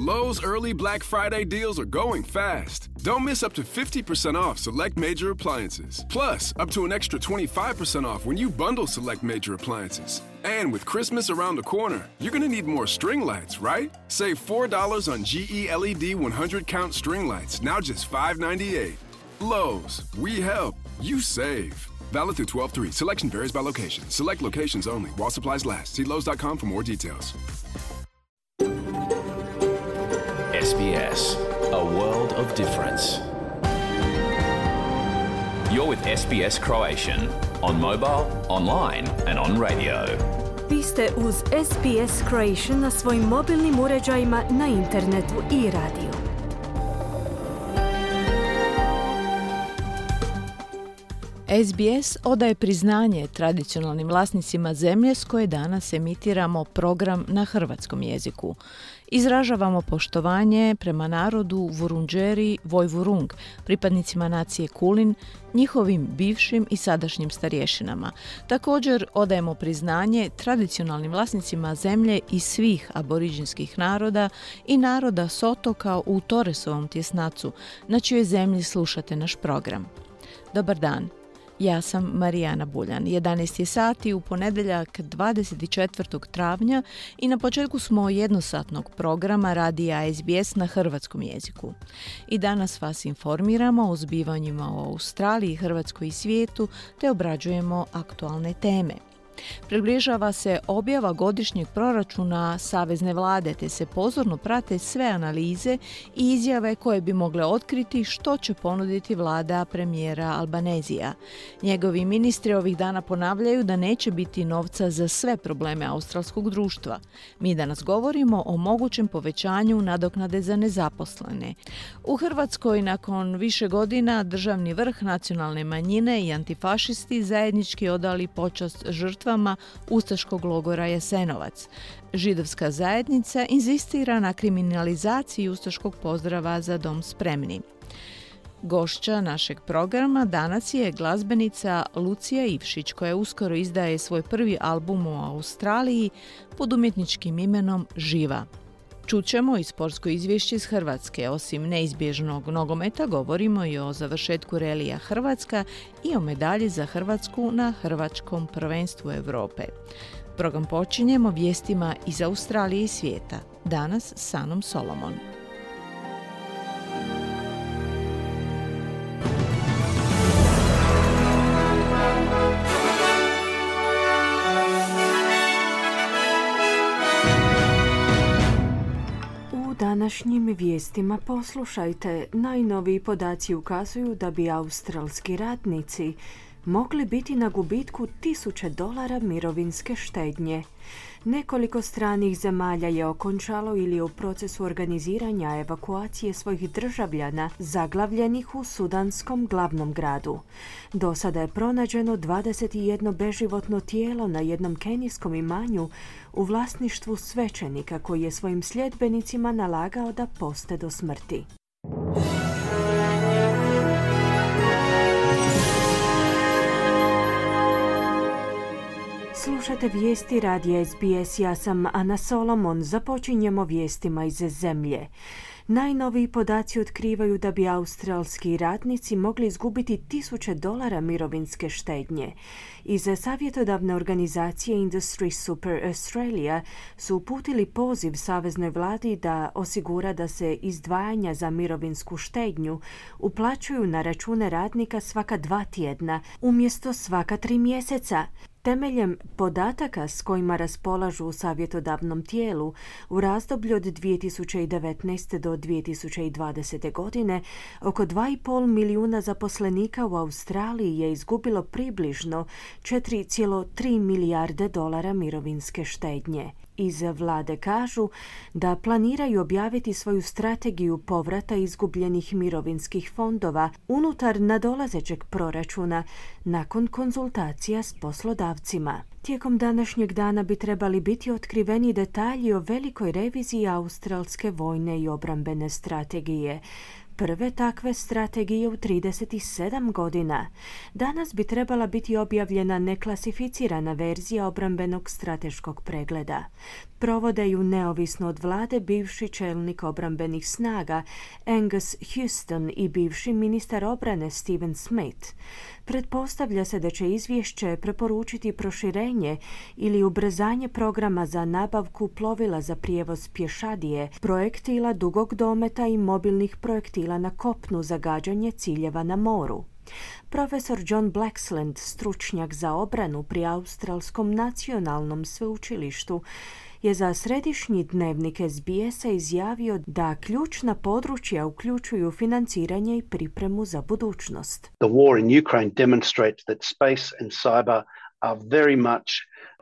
Lowe's early Black Friday deals are going fast. Don't miss up to 50% off select major appliances. Plus, up to an extra 25% off when you bundle select major appliances. And with Christmas around the corner, you're going to need more string lights, right? Save $4 on GE LED 100-count string lights, now just $5.98. Lowe's, we help, you save. Valid through 12/3. Selection varies by location. Select locations only. While supplies last. See Lowe's.com for more details. SBS, a world of difference. You're with SBS Croatian on mobile, online and on radio. Vi ste uz SBS Croatian na svojim mobilnim uređajima, na internetu i radiju. SBS odaje priznanje tradicionalnim vlasnicima zemlje s koje danas emitiramo program na hrvatskom jeziku. Izražavamo poštovanje prema narodu Vurundjeri Vojvurung, pripadnicima nacije Kulin, njihovim bivšim i sadašnjim starješinama. Također odajemo priznanje tradicionalnim vlasnicima zemlje i svih aboriđinskih naroda i naroda s otoka u Torresovom tjesnacu, na čijoj zemlji slušate naš program. Dobar dan. Ja sam Marijana Buljan. 11 je sati u ponedjeljak 24. travnja i na početku smo jednosatnog programa radija SBS na hrvatskom jeziku. I danas vas informiramo o zbivanjima u Australiji, Hrvatskoj i svijetu te obrađujemo aktualne teme. Približava se objava godišnjeg proračuna Savezne vlade, te se pozorno prate sve analize i izjave koje bi mogle otkriti što će ponuditi vlada premijera Albanezija. Njegovi ministri ovih dana ponavljaju da neće biti novca za sve probleme australskog društva. Mi danas govorimo o mogućem povećanju nadoknade za nezaposlene. U Hrvatskoj nakon više godina državni vrh, nacionalne manjine i antifašisti zajednički odali počast žrtvama ustaškog logora Jasenovac. Židovska zajednica inzistira na kriminalizaciji ustaškog pozdrava Za dom spremni. Gošća našeg programa danas je glazbenica Lucija Ivšić, koja uskoro izdaje svoj prvi album u Australiji pod umjetničkim imenom Živa. Čućemo i sportsko izvješće iz Hrvatske. Osim neizbježnog nogometa, govorimo i o završetku relija Hrvatska i o medalji za Hrvatsku na Hrvatskom prvenstvu Europe. Program počinjemo vijestima iz Australije i svijeta. Danas s Anom Solomon. Današnjim vijestima poslušajte. Najnoviji podaci ukazuju da bi australski radnici mogli biti na gubitku $1000 mirovinske štednje. Nekoliko stranih zemalja je okončalo ili je u procesu organiziranja evakuacije svojih državljana zaglavljenih u sudanskom glavnom gradu. Do sada je pronađeno 21 beživotno tijelo na jednom kenijskom imanju u vlasništvu svećenika koji je svojim sljedbenicima nalagao da poste do smrti. Slušate vijesti radija SBS, ja sam Ana Solomon. Započinjemo vijestima iz zemlje. Najnoviji podaci otkrivaju da bi australski radnici mogli izgubiti $1000 mirovinske štednje. Iz savjetodavne organizacije Industry Super Australia su uputili poziv saveznoj vladi da osigura da se izdvajanja za mirovinsku štednju uplaćuju na račune radnika svaka 2 tjedna umjesto svaka 3 mjeseca. Temeljem podataka s kojima raspolažu u savjetodavnom tijelu, u razdoblju od 2019. do 2020. godine, oko 2,5 milijuna zaposlenika u Australiji je izgubilo približno $4,3 milijarde mirovinske štednje. Iz vlade kažu da planiraju objaviti svoju strategiju povrata izgubljenih mirovinskih fondova unutar nadolazećeg proračuna nakon konzultacija s poslodavcima. Tijekom današnjeg dana bi trebali biti otkriveni detalji o velikoj reviziji australske vojne i obrambene strategije. Prve takve strategije u 37 godina. Danas bi trebala biti objavljena neklasificirana verzija obrambenog strateškog pregleda. Provode ju neovisno od vlade bivši čelnik obrambenih snaga Angus Houston i bivši ministar obrane Stephen Smith. Pretpostavlja se da će izvješće preporučiti proširenje ili ubrzanje programa za nabavku plovila za prijevoz pješadije, projektila dugog dometa i mobilnih projektila na kopnu za gađanje ciljeva na moru. Profesor John Blaxland, stručnjak za obranu pri Australskom nacionalnom sveučilištu, je za središnji dnevnik SBS-a izjavio da ključna područja uključuju financiranje i pripremu za budućnost. The war in Ukraine demonstrates that space and cyber are very much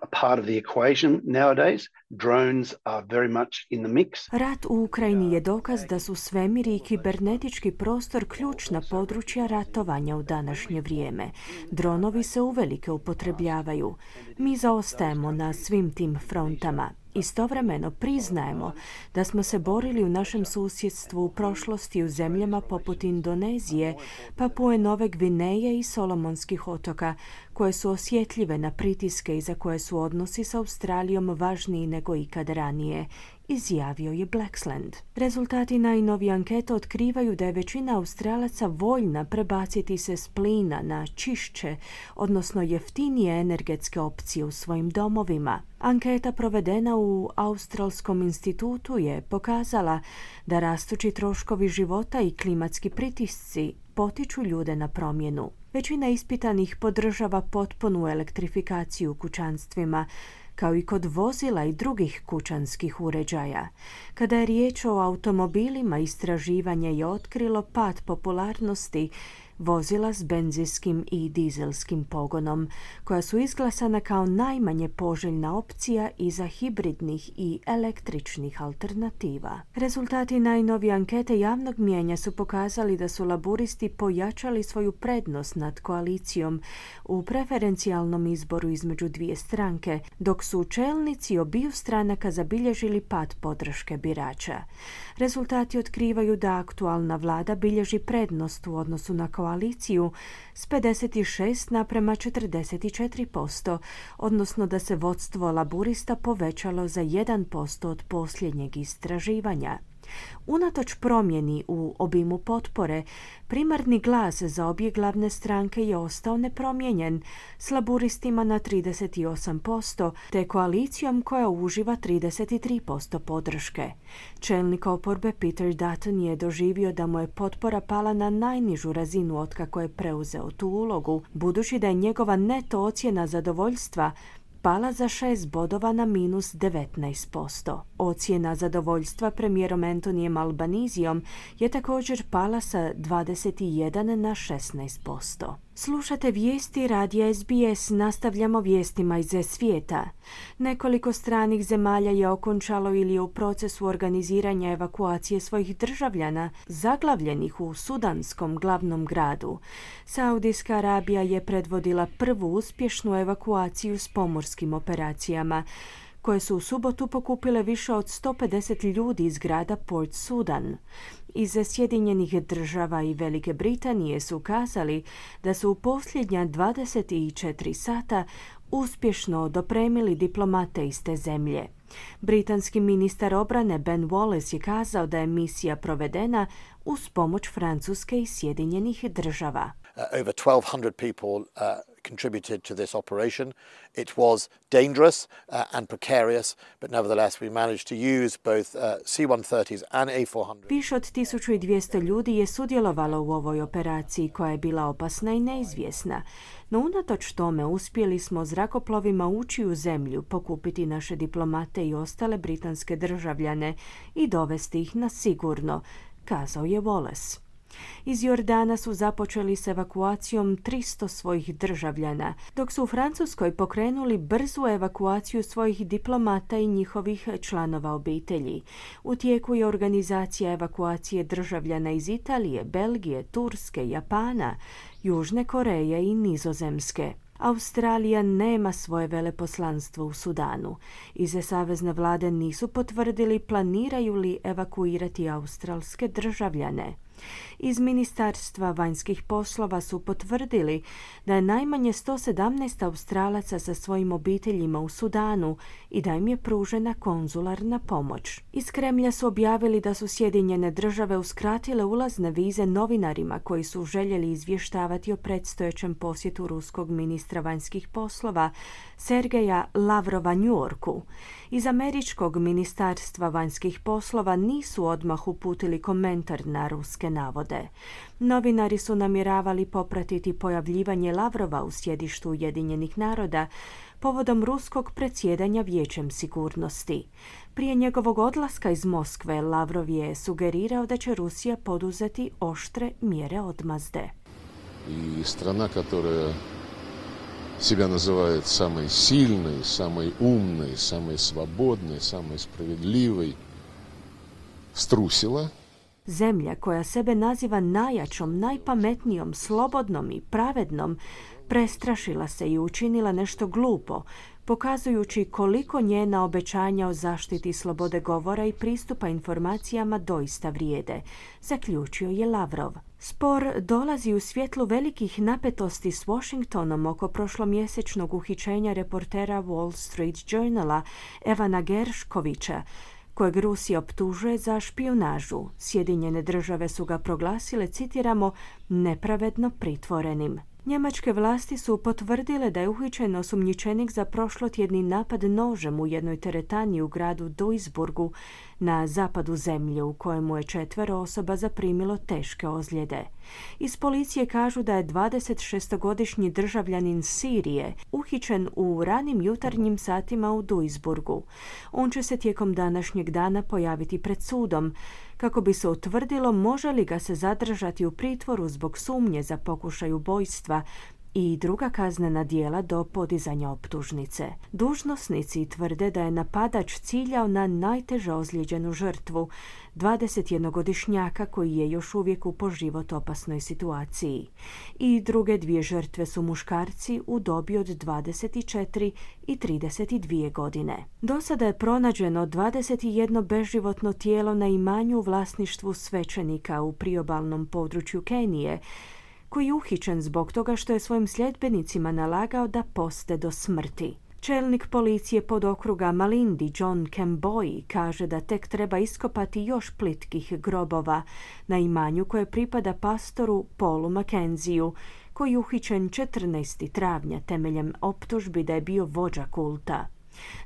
a part of the equation nowadays. Drones are very much in the mix. Rat u Ukrajini je dokaz da su svemir i kibernetički prostor ključna područja ratovanja u današnje vrijeme. Dronovi se uvelike upotrebljavaju. Mi zaostajemo na svim tim frontama. Istovremeno priznajemo da smo se borili u našem susjedstvu u prošlosti u zemljama poput Indonezije, Papue Nove Gvineje i Solomonskih otoka, koje su osjetljive na pritiske i za koje su odnosi s Australijom važniji nego ikad ranije, izjavio je Blaxland. Rezultati najnovije ankete otkrivaju da je većina Australaca voljna prebaciti se s plina na čišće, odnosno jeftinije energetske opcije u svojim domovima. Anketa provedena u Australskom institutu je pokazala da rastući troškovi života i klimatski pritisci potiču ljude na promjenu. Većina ispitanih podržava potpunu elektrifikaciju u kućanstvima, kao i kod vozila i drugih kućanskih uređaja. Kada je riječ o automobilima, istraživanje je otkrilo pad popularnosti vozila s benzinskim i dizelskim pogonom, koja su izglasana kao najmanje poželjna opcija iza hibridnih i električnih alternativa. Rezultati najnovije ankete javnog mijenja su pokazali da su laburisti pojačali svoju prednost nad koalicijom u preferencijalnom izboru između dvije stranke, dok su čelnici obiju stranaka zabilježili pad podrške birača. Rezultati otkrivaju da aktualna vlada bilježi prednost u odnosu na koaliciju s 56 naprema 44%, odnosno da se vodstvo laburista povećalo za 1% od posljednjeg istraživanja. Unatoč promjeni u obimu potpore, primarni glas za obje glavne stranke je ostao nepromijenjen, s laburistima na 38%, te koalicijom koja uživa 33% podrške. Čelnik oporbe Peter Dutton je doživio da mu je potpora pala na najnižu razinu otkako je preuzeo tu ulogu, budući da je njegova neto ocjena zadovoljstva pala za 6 bodova na minus 19%. Ocjena zadovoljstva premijerom Antonijem Albanizijom je također pala sa 21 na 16%. Slušate vijesti radija SBS, nastavljamo vijestima iz svijeta. Nekoliko stranih zemalja je okončalo ili je u procesu organiziranja evakuacije svojih državljana zaglavljenih u sudanskom glavnom gradu. Saudijska Arabija je predvodila prvu uspješnu evakuaciju s pomorskim operacijama, koje su u subotu pokupile više od 150 ljudi iz grada Port Sudan. Iz Sjedinjenih država i Velike Britanije su kazali da su u posljednja 24 sata uspješno dopremili diplomate iz te zemlje. Britanski ministar obrane Ben Wallace je kazao da je misija provedena uz pomoć Francuske i Sjedinjenih država. Over 1,200 people contributed to this operation. It was dangerous and precarious, but nevertheless we managed to use both C-130s and A-400. Više od 1200 ljudi je sudjelovalo u ovoj operaciji koja je bila opasna i neizvjesna. No unatoč tome uspjeli smo zrakoplovima ući u zemlju, pokupiti naše diplomate i ostale britanske državljane i dovesti ih na sigurno, kazao je Wallace. Iz Jordana su započeli s evakuacijom 300 svojih državljana, dok su u Francuskoj pokrenuli brzu evakuaciju svojih diplomata i njihovih članova obitelji. U tijeku je organizacija evakuacije državljana iz Italije, Belgije, Turske, Japana, Južne Koreje i Nizozemske. Australija nema svoje veleposlanstvo u Sudanu. Iz savezne vlade nisu potvrdili planiraju li evakuirati australske državljane. Iz Ministarstva vanjskih poslova su potvrdili da je najmanje 117 Australaca sa svojim obiteljima u Sudanu i da im je pružena konzularna pomoć. Iz Kremlja su objavili da su Sjedinjene države uskratile ulazne vize novinarima koji su željeli izvještavati o predstojećem posjetu ruskog ministra vanjskih poslova Sergeja Lavrova New Yorku. Iz američkog Ministarstva vanjskih poslova nisu odmah uputili komentar na ruske navode. Novinari su namjeravali popratiti pojavljivanje Lavrova u sjedištu Ujedinjenih naroda povodom ruskog predsjedanja Vijećem sigurnosti. Prije njegovog odlaska iz Moskve, Lavrov je sugerirao da će Rusija poduzeti oštre mjere odmazde. I strana koja себя называет самой сильной, самой умной, самой свободной, самой справедливой, струсила. Zemlja koja sebe naziva najjačom, najpametnijom, slobodnom i pravednom, prestrašila se i učinila nešto glupo, pokazujući koliko njena obećanja o zaštiti slobode govora i pristupa informacijama doista vrijede, zaključio je Lavrov. Spor dolazi u svjetlu velikih napetosti s Washingtonom oko prošlomjesečnog uhićenja reportera Wall Street Journala Evana Gershkovića, kojeg Rusija optužuje za špijunažu. Sjedinjene države su ga proglasile, citiramo, nepravedno pritvorenim. Njemačke vlasti su potvrdile da je uhićen osumnjičenik za prošlotjedni napad nožem u jednoj teretani u gradu Duisburgu na zapadu zemlje, u kojemu je 4 osoba zaprimilo teške ozljede. Iz policije kažu da je 26-godišnji državljanin Sirije uhićen u ranim jutarnjim satima u Duisburgu. On će se tijekom današnjeg dana pojaviti pred sudom kako bi se utvrdilo može li ga se zadržati u pritvoru zbog sumnje za pokušaj ubojstva i druga kaznena djela do podizanja optužnice. Dužnosnici tvrde da je napadač ciljao na najteže ozlijeđenu žrtvu, 21-godišnjaka koji je još uvijek u po život opasnoj situaciji. I druge 2 žrtve su muškarci u dobi od 24 i 32 godine. Do sada je pronađeno 21 beživotno tijelo na imanju u vlasništvu svećenika u priobalnom području Kenije, koji je uhićen zbog toga što je svojim sljedbenicima nalagao da poste do smrti. Čelnik policije podokruga Malindi John Kemboi kaže da tek treba iskopati još plitkih grobova na imanju koje pripada pastoru Paulu Mackenziju, koji je uhićen 14. travnja temeljem optužbi da je bio vođa kulta.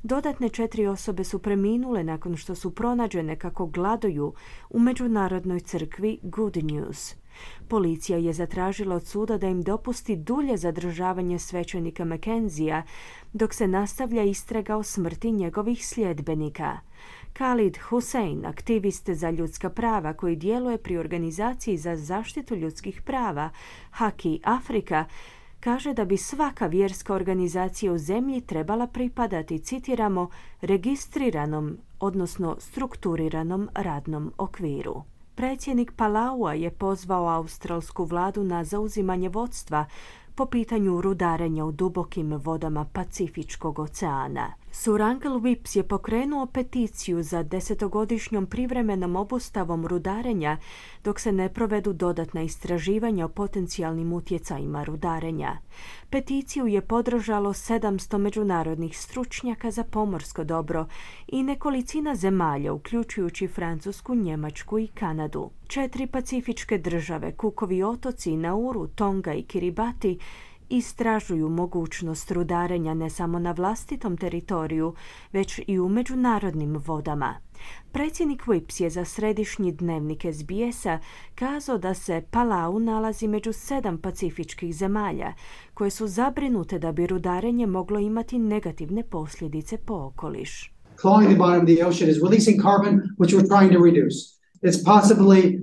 Dodatne 4 osobe su preminule nakon što su pronađene kako gladuju u međunarodnoj crkvi Good News. Policija je zatražila od suda da im dopusti dulje zadržavanje svećenika Mackenzija dok se nastavlja istraga o smrti njegovih sljedbenika. Khalid Hussein, aktivist za ljudska prava koji djeluje pri organizaciji za zaštitu ljudskih prava Haki Afrika, kaže da bi svaka vjerska organizacija u zemlji trebala pripadati, citiramo, registriranom, odnosno strukturiranom radnom okviru. Predsjednik Palaua je pozvao australsku vladu na zauzimanje vodstva po pitanju rudarenja u dubokim vodama Pacifičkog oceana. Sir Uncle Vips je pokrenuo peticiju za 10-godišnjom privremenom obustavom rudarenja dok se ne provedu dodatna istraživanja o potencijalnim utjecajima rudarenja. Peticiju je podržalo 700 međunarodnih stručnjaka za pomorsko dobro i nekolicina zemalja, uključujući Francusku, Njemačku i Kanadu. 4 pacifičke države, Cookovi otoci, Nauru, Tonga i Kiribati, istražuju mogućnost rudarenja ne samo na vlastitom teritoriju, već i u međunarodnim vodama. Predsjednik Vips je za središnji dnevnik SBS-a kazao da se Palau nalazi među 7 pacifičkih zemalja koje su zabrinute da bi rudarenje moglo imati negativne posljedice po okoliš. Clawing the bottom of the ocean is releasing carbon, which we're trying to reduce. It's possibly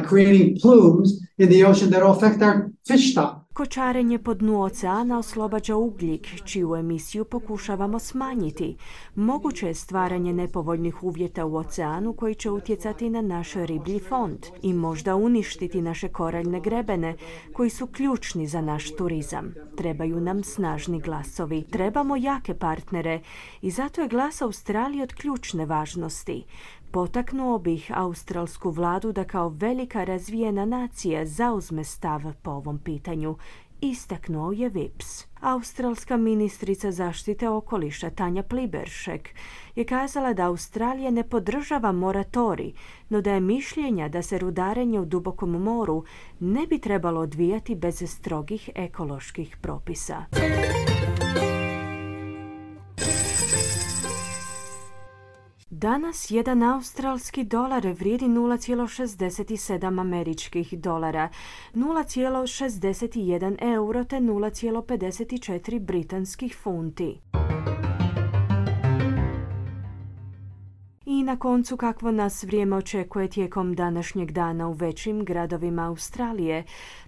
creating plumes in the ocean that will affect our fish stock. Kočarenje po dnu oceana oslobađa ugljik, čiju emisiju pokušavamo smanjiti. Moguće je stvaranje nepovoljnih uvjeta u oceanu koji će utjecati na naš riblji fond i možda uništiti naše koraljne grebene koji su ključni za naš turizam. Trebaju nam snažni glasovi, trebamo jake partnere i zato je glas Australije od ključne važnosti. Potaknuo bih australsku vladu da kao velika razvijena nacija zauzme stav po ovom pitanju, istaknuo je Vips. Australska ministrica zaštite okoliša Tanja Pliberšek je kazala da Australija ne podržava moratorij, no da je mišljenja da se rudarenje u dubokom moru ne bi trebalo odvijati bez strogih ekoloških propisa. Danas jedan australski dolar vrijedi 0,67 američkih dolara, 0,61 euro te 0,54 britanskih funti. I na koncu kakvo nas vrijeme očekuje tijekom današnjeg dana u većim gradovima Australije.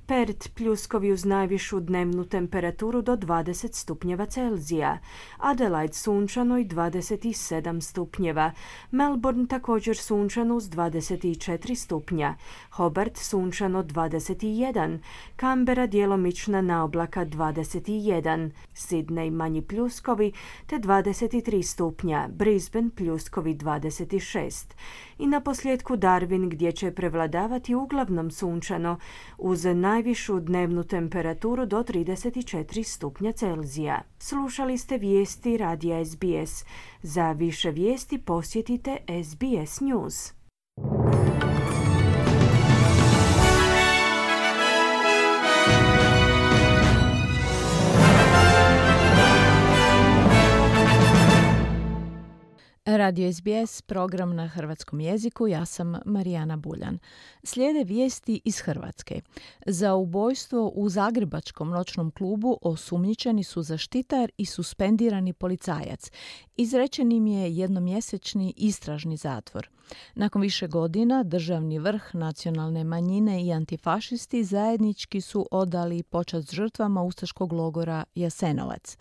Perth pljuskovi uz najvišu dnevnu temperaturu do 20 stupnjeva Celzija, Adelaide sunčano i 27 stupnjeva, Melbourne također sunčano uz 24 stupnja, Hobart sunčano 21, Canberra djelomična naoblaka 21, Sydney manji pljuskovi te 23 stupnja, Brisbane pljuskovi 26. I na posljedku Darwin gdje će prevladavati uglavnom sunčano uz najvišu dnevnu temperaturu do 34 stupnja Celzija. Slušali ste vijesti radija SBS. Za više vijesti posjetite SBS News. Radio SBS, program na hrvatskom jeziku, ja sam Marijana Buljan. Slijede vijesti iz Hrvatske. Za ubojstvo u zagrebačkom noćnom klubu osumnjičeni su zaštitar i suspendirani policajac. Izrečen im je jednomjesečni istražni zatvor. Nakon više godina državni vrh, nacionalne manjine i antifašisti zajednički su odali počast žrtvama ustaškog logora Jasenovac.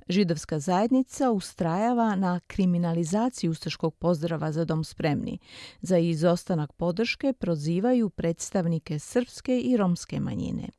Židovska zajednica ustrajava na kriminalizaciji ustaškog pozdrava Za dom spremni. Za izostanak podrške prozivaju predstavnike srpske i romske manjine.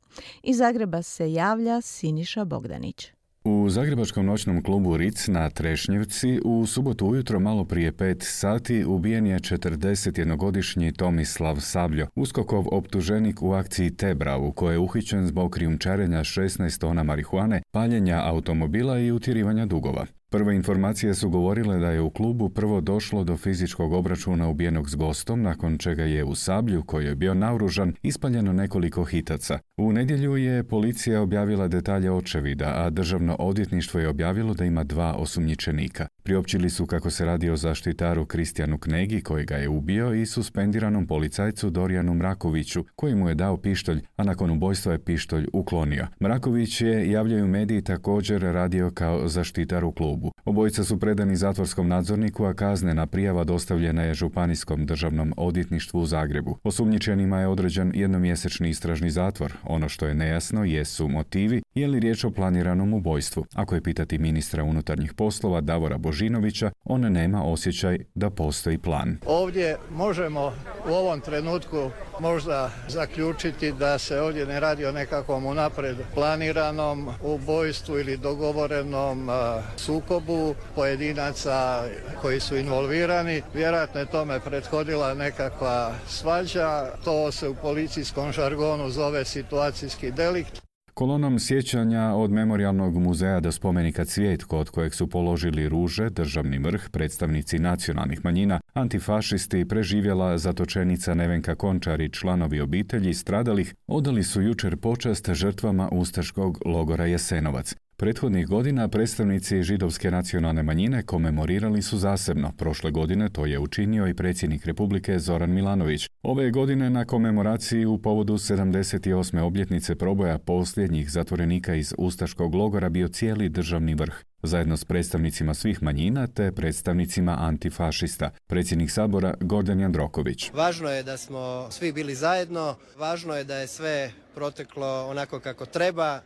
Iz Zagreba se javlja Siniša Bogdanić. U zagrebačkom noćnom klubu Ritz na Trešnjevci u subotu ujutro malo prije 5 sati ubijen je 41-godišnji Tomislav Sabljo, USKOK-ov optuženik u akciji Tebra u kojoj je uhićen zbog krijumčarenja 16 tona marihuane, paljenja automobila i utjerivanja dugova. Prve informacije su govorile da je u klubu prvo došlo do fizičkog obračuna ubijenog s gostom, nakon čega je u Sablju, koji je bio naoružan, ispaljeno nekoliko hitaca. U nedjelju je policija objavila detalje očevida, a državno odvjetništvo je objavilo da ima 2 osumnjičenika. Priopćili su kako se radi o zaštitaru Kristijanu Knegi, koji ga je ubio, i suspendiranom policajcu Dorijanu Mrakoviću, koji mu je dao pištolj, a nakon ubojstva je pištolj uklonio. Mraković je, javljaju mediji, također radio kao zaštitar u klubu. Obojica su predani zatvorskom nadzorniku, a kaznena prijava dostavljena je Županijskom državnom odvjetništvu u Zagrebu. Osumnjičenima je određen jednomjesečni istražni zatvor. Ono što je nejasno jesu motivi, je li riječ o planiranom ubojstvu. Ako je pitati ministra unutarnjih poslova Davora Božinovića, on nema osjećaj da postoji plan. Ovdje možemo u ovom trenutku možda zaključiti da se ovdje ne radi o nekakvom unaprijed planiranom ubojstvu ili dogovorenom sukobu pojedinaca koji su involvirani. Vjerojatno je tome prethodila nekakva svađa. To se u policijskom žargonu zove situacijski delikt. Kolonom sjećanja od Memorijalnog muzeja do spomenika Cvijet, kod kojeg su položili ruže, državni vrh, predstavnici nacionalnih manjina, antifašisti, preživjela zatočenica Nevenka Končar i članovi obitelji stradalih, odali su jučer počast žrtvama ustaškog logora Jasenovac. Prethodnih godina predstavnici židovske nacionalne manjine komemorirali su zasebno. Prošle godine to je učinio i predsjednik Republike Zoran Milanović. Ove godine na komemoraciji u povodu 78. obljetnice proboja posljednjih zatvorenika iz ustaškog logora bio cijeli državni vrh, zajedno s predstavnicima svih manjina te predstavnicima antifašista. Predsjednik Sabora Gordan Jandroković. Važno je da smo svi bili zajedno, važno je da je sve proteklo onako kako treba.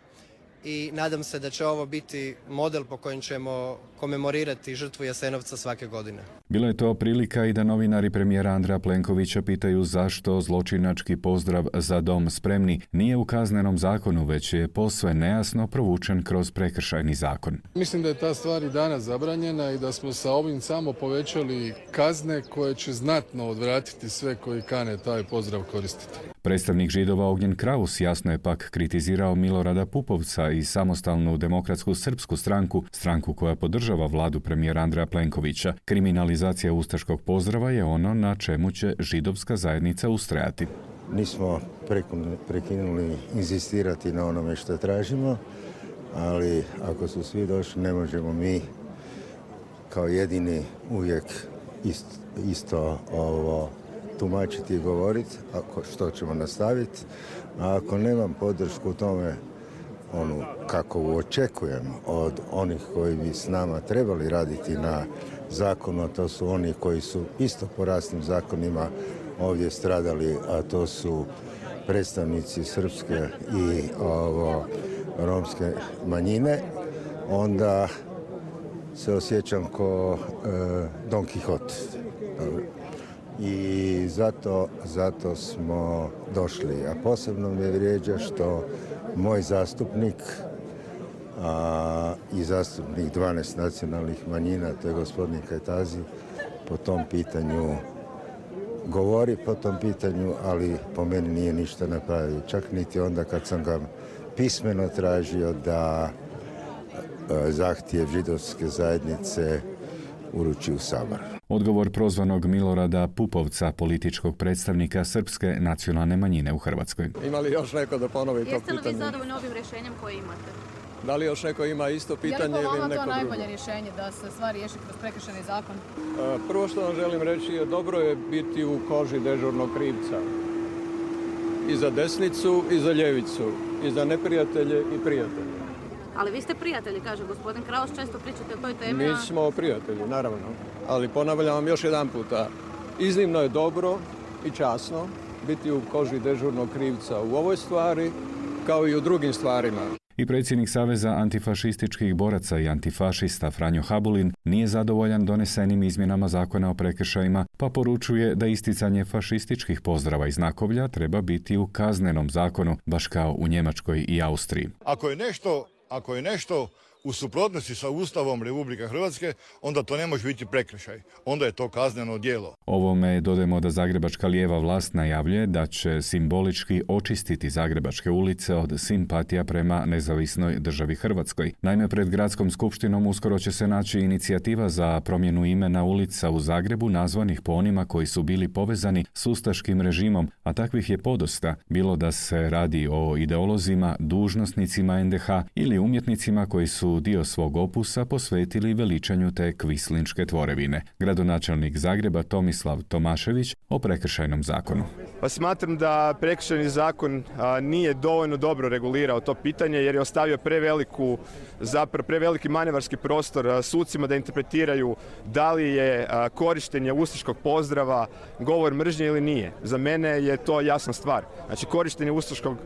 i nadam se da će ovo biti model po kojem ćemo komemorirati žrtvu Jasenovca svake godine. Bila je to prilika i da novinari premijera Andreja Plenkovića pitaju zašto zločinački pozdrav Za dom spremni nije u kaznenom zakonu, već je posve nejasno provučen kroz prekršajni zakon. Mislim da je ta stvar i danas zabranjena i da smo sa ovim samo povećali kazne koje će znatno odvratiti sve koji kane taj pozdrav koristiti. Predstavnik Židova Ognjen Kraus jasno je pak kritizirao Milorada Pupovca i Samostalnu demokratsku srpsku stranku, stranku koja podržava vladu premijera Andreja Plenkovića. Kriminalizacija ustaškog pozdrava je ono na čemu će židovska zajednica ustrajati. Nismo prekinuli inzistirati na onome što tražimo, ali ako su svi došli, ne možemo mi kao jedini uvijek isto tumačiti i govoriti, što ćemo nastaviti. A ako nemam podršku u tome, kako očekujem od onih koji bi s nama trebali raditi na zakonu, to su oni koji su isto po rasnim zakonima ovdje stradali, a to su predstavnici srpske i romske manjine, onda se osjećam ko Don Quixote. I zato smo došli. A posebno me vrijeđa što moj zastupnik i zastupnik 12 nacionalnih manjina, to je gospodin Kajtazi, po tom pitanju govori po tom pitanju, ali po meni nije ništa napravio. Čak niti onda kad sam ga pismeno tražio da zahtjev židovske zajednice uruči u Sabor. Odgovor prozvanog Milorada Pupovca, političkog predstavnika srpske nacionalne manjine u Hrvatskoj. Ima li još neko da ponovi to pitanje? Jeste li vi zadovoljni ovim rješenjem koje imate? Da li još neko ima isto pitanje ili neko drugo? Je li po vama to najbolje rješenje da se stvar riješi kroz prekršajni zakon? Prvo što vam želim reći je dobro je biti u koži dežurnog krivca. I za desnicu i za ljevicu. I za neprijatelje i prijatelje. Ali vi ste prijatelji, kaže gospodin Kraus, često pričate o toj temi. Mi smo prijatelji, naravno. Ali ponavljam vam još jedan puta. Iznimno je dobro i časno biti u koži dežurnog krivca u ovoj stvari, kao i u drugim stvarima. I predsjednik Saveza antifašističkih boraca i antifašista Franjo Habulin nije zadovoljan donesenim izmjenama zakona o prekršajima, pa poručuje da isticanje fašističkih pozdrava i znakovlja treba biti u kaznenom zakonu, baš kao u Njemačkoj i Austriji. Ako je nešto u suprotnosti sa Ustavom Republike Hrvatske, onda to ne može biti prekršaj. Onda je to kazneno djelo. Ovome dodajemo da zagrebačka lijeva vlast najavljuje da će simbolički očistiti zagrebačke ulice od simpatija prema nezavisnoj državi Hrvatskoj. Naime, pred gradskom skupštinom uskoro će se naći inicijativa za promjenu imena ulica u Zagrebu nazvanih po onima koji su bili povezani s ustaškim režimom, a takvih je podosta, bilo da se radi o ideolozima, dužnosnicima NDH ili umjetnicima koji su dio svog opusa posvetili veličanju te kvislinške tvorevine. Gradonačelnik Zagreba Tomislav Tomašević o prekršajnom zakonu. Pa smatram da prekršajni zakon nije dovoljno dobro regulirao to pitanje jer je ostavio preveliki manevarski prostor sucima da interpretiraju da li je korištenje ustaškog pozdrava govor mržnje ili nije. Za mene je to jasna stvar. Znači, korištenje ustaškog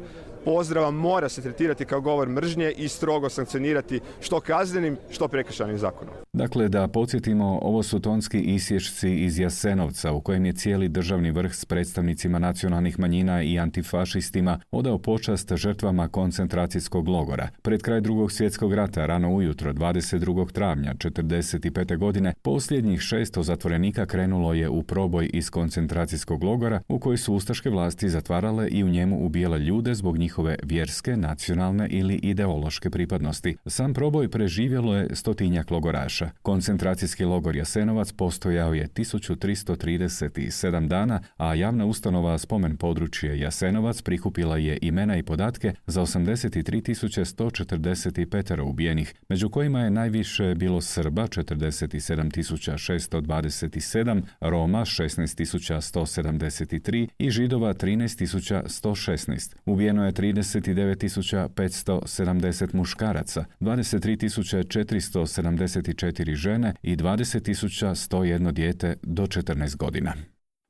pozdrava mora se tretirati kao govor mržnje i strogo sankcionirati što kaznenim, što prekršajnim zakonom. Dakle, da podsjetimo, ovo su tonski isječci iz Jasenovca u kojem je cijeli državni vrh s predstavnicima nacionalnih manjina i antifašistima odao počast žrtvama koncentracijskog logora. Pred kraj Drugog svjetskog rata, rano ujutro 22. travnja 1945. godine, posljednjih 600 zatvorenika krenulo je u proboj iz koncentracijskog logora u koji su ustaške vlasti zatvarale i u njemu ubijale ljude zbog njihove vjerske, nacionalne ili ideološke pripadnosti. Sam proboj preživjelo je 100-tinjak logoraša. Koncentracijski logor Jasenovac postojao je 1337 dana, a javna ustanova Spomen područje Jasenovac prikupila je imena i podatke za 83.145 ubijenih, među kojima je najviše bilo Srba 47.627, Roma 16.173 i Židova 13.116. Ubijeno je 39.570 muškaraca, 23.474 žene i 20.101 dijete do 14 godina.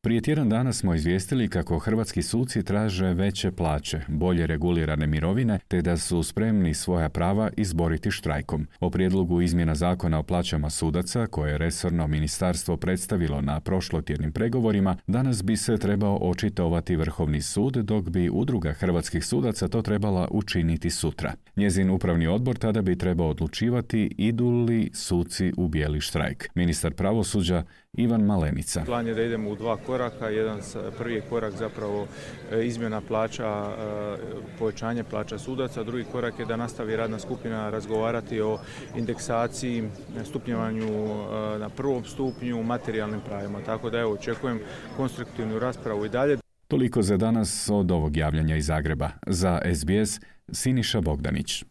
Prije tjedan dana smo izvijestili kako hrvatski suci traže veće plaće, bolje regulirane mirovine, te da su spremni svoja prava izboriti štrajkom. O prijedlogu izmjena zakona o plaćama sudaca, koje je resorno ministarstvo predstavilo na prošlotjednim pregovorima, danas bi se trebao očitovati Vrhovni sud, dok bi Udruga hrvatskih sudaca to trebala učiniti sutra. Njezin upravni odbor tada bi trebao odlučivati idu li suci u bijeli štrajk. Ministar pravosuđa Ivan Malenica. Plan je da idemo u dva koraka. Prvi je korak zapravo izmjena plaća, povećanje plaća sudaca. Drugi korak je da nastavi radna skupina razgovarati o indeksaciji, stupnjevanju na prvom stupnju, materijalnim pravima. Tako da očekujem konstruktivnu raspravu i dalje. Toliko za danas od ovog javljanja iz Zagreba. Za SBS, Siniša Bogdanić.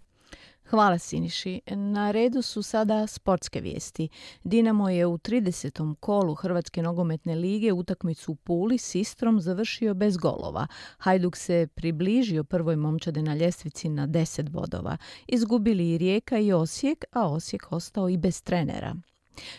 Hvala Siniši. Na redu su sada sportske vijesti. Dinamo je u 30. kolu Hrvatske nogometne lige utakmicu u Puli s Istrom završio bez golova. Hajduk se približio prvoj momčadi na ljestvici na 10 bodova. Izgubili i Rijeka i Osijek, a Osijek ostao i bez trenera.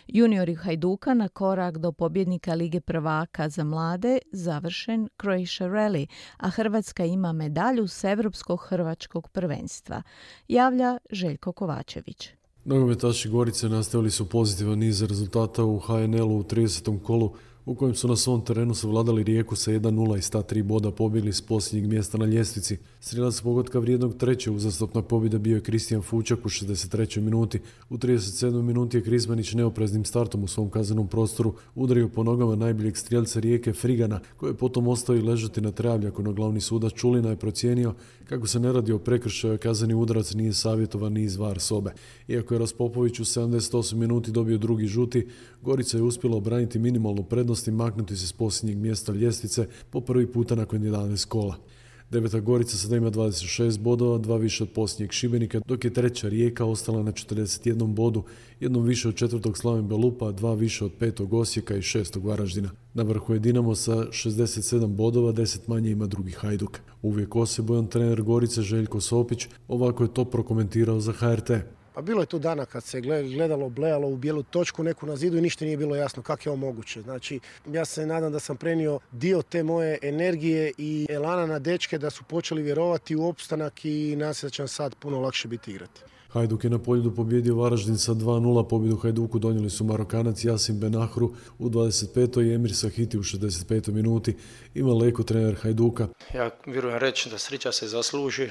Juniori Hajduka na korak do pobjednika Lige prvaka za mlade završen Croatia Rally, a Hrvatska ima medalju s Europskog hrvačkog prvenstva. Javlja Željko Kovačević. Nogometaši Gorice nastavili su pozitivan niz rezultata u HNL-u u 30. kolu, u kojem su na svom terenu savladali Rijeku sa 1-0 i sta 3 boda pobjegli s posljednjeg mjesta na ljestvici. Strijelac pogotka vrijednog treće uzastopna pobjeda bio je Kristijan Fučak u 63. minuti. U 37. minuti je Krizmanić neopreznim startom u svom kaznenom prostoru udario po nogama najboljeg strijelca Rijeke Frigana, koji je potom ostao i ležati na travljaku, no glavni sudac Čulina je procijenio kako se ne radi o prekršaju, kazneni udarac nije savjetovan ni iz VAR sobe. Iako je Raspopović u 78 minuti dobio drugi žuti, Gorica je uspjela obraniti minimalnu prednost i maknuti se s posljednjeg mjesta ljestvice po prvi puta nakon 11 kola. Deveta Gorica sada ima 26 bodova, 2 više od posljednjeg Šibenika, dok je treća Rijeka ostala na 41 bodu, jednom više od četvrtog Slaven Belupa, 2 više od petog Osijeka i 6. Varaždina. Na vrhu je Dinamo sa 67 bodova, 10 manje ima drugi Hajduk. Uvijek osebojan trener Gorice Željko Sopić ovako je to prokomentirao za HRT. Pa bilo je tu dana kad se gledalo, blejalo u bijelu točku neku na zidu i ništa nije bilo jasno kako je ovo moguće. Znači, ja se nadam da sam prenio dio te moje energije i elana na dečke da su počeli vjerovati u opstanak i nadam se da će nam sad puno lakše biti igrati. Hajduk je na Poljudu pobjedio Varaždin sa 2-0. Pobjedu Hajduku donijeli su Marokanac Jasim Benahru u 25. i Emir Sahiti u 65. minuti. Ima Leko, trener Hajduka. Ja vjerujem reći da sreća se zasluži.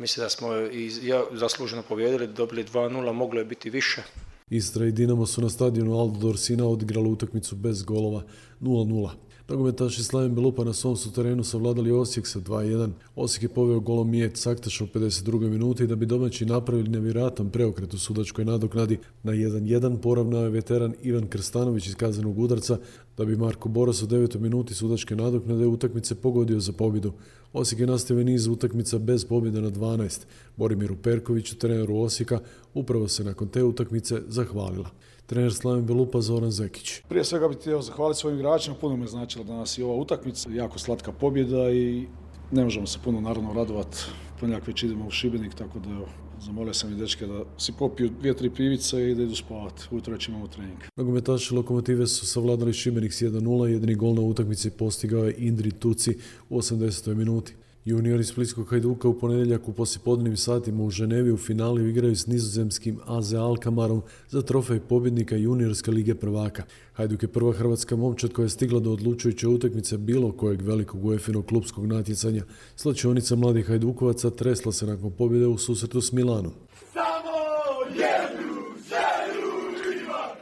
Mislim da smo i zasluženo pobjedili, dobili 2-0, moglo je biti više. Istra i Dinamo su na stadionu Aldo Dorsina odigrali utakmicu bez golova 0-0. Nogometaši Slaven Belupa na svom su terenu savladali Osijek sa 2-1. Osijek je poveo golom Mijet Saktaša u 52. minuti da bi domaći napravili nevjerojatan preokret u sudačkoj nadoknadi. Na 1-1 poravnao je veteran Ivan Krstanović iz kaznenog udarca, da bi Marko Boras u 9. minuti sudačke nadoknade utakmice pogodio za pobjedu. Osijek je nastavio niz utakmica bez pobjede na 12. Borimiru Perkoviću, treneru Osijeka, upravo se nakon te utakmice zahvalila. Trener Slaven Belupa Zoran Zekić. Prije svega bih htio zahvaliti svojim igračima, puno me značila danas i ova utakmica, jako slatka pobjeda i ne možemo se puno naravno radovati. Ponedjeljak već idemo u Šibenik, tako da zamolio sam i dečke da si popiju 2-3 pivice i da idu spavati. Ujutro već imamo trening. Nogometaši Lokomotive su savladali Šibenik s 1-0, jedini gol na utakmici postigao je Indri Tuci u 80. minuti. Juniori Splitskog Hajduka u ponedjeljak u poslijepodnevnim satima u Ženevi u finalu igraju s nizozemskim AZ Alkmarom za trofej pobjednika juniorske lige prvaka. Hajduk je prva hrvatska momčad koja je stigla do odlučujuće utakmice bilo kojeg velikog UEFA-inog klubskog natjecanja. Slačionica mladih Hajdukovaca tresla se nakon pobjede u susretu s Milanom. Samo jednu želju ima,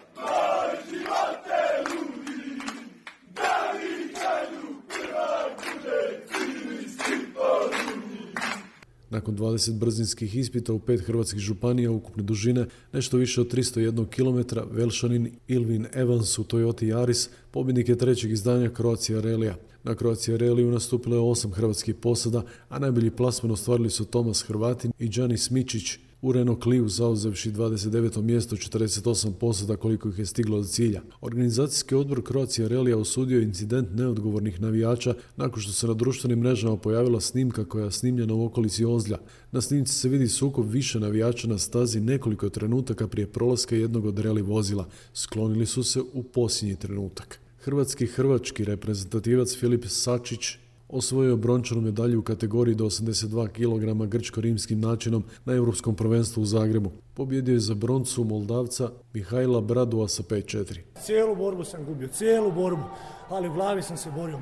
Nakon 20 brzinskih ispita u 5 hrvatskih županija ukupne dužine, nešto više od 301 km, Velšanin Ilvin Evans u Toyota Yaris pobjednik je trećeg izdanja Croatia Rallya. Na Croatia Rallyu nastupilo je 8 hrvatskih posada, a najbolji plasman ostvarili su Tomas Hrvatin i Đanis Mičić u Renault Clio zauzevši 29. mjesto 48 posada koliko ih je stiglo do cilja. Organizacijski odbor Croatia Rallya osudio incident neodgovornih navijača nakon što se na društvenim mrežama pojavila snimka koja je snimljena u okolici Ozlja. Na snimci se vidi sukob više navijača na stazi nekoliko trenutaka prije prolaska jednog od rally vozila. Sklonili su se u posljednji trenutak. Hrvatski reprezentativac Filip Sačić osvojio brončanu medalju u kategoriji do 82 kg grčko-rimskim načinom na Europskom prvenstvu u Zagrebu. Pobjedio je za broncu Moldavca Mihajla Bradua sa 5-4. Cijelu borbu sam gubio, cijelu borbu, ali u glavi sam se borio,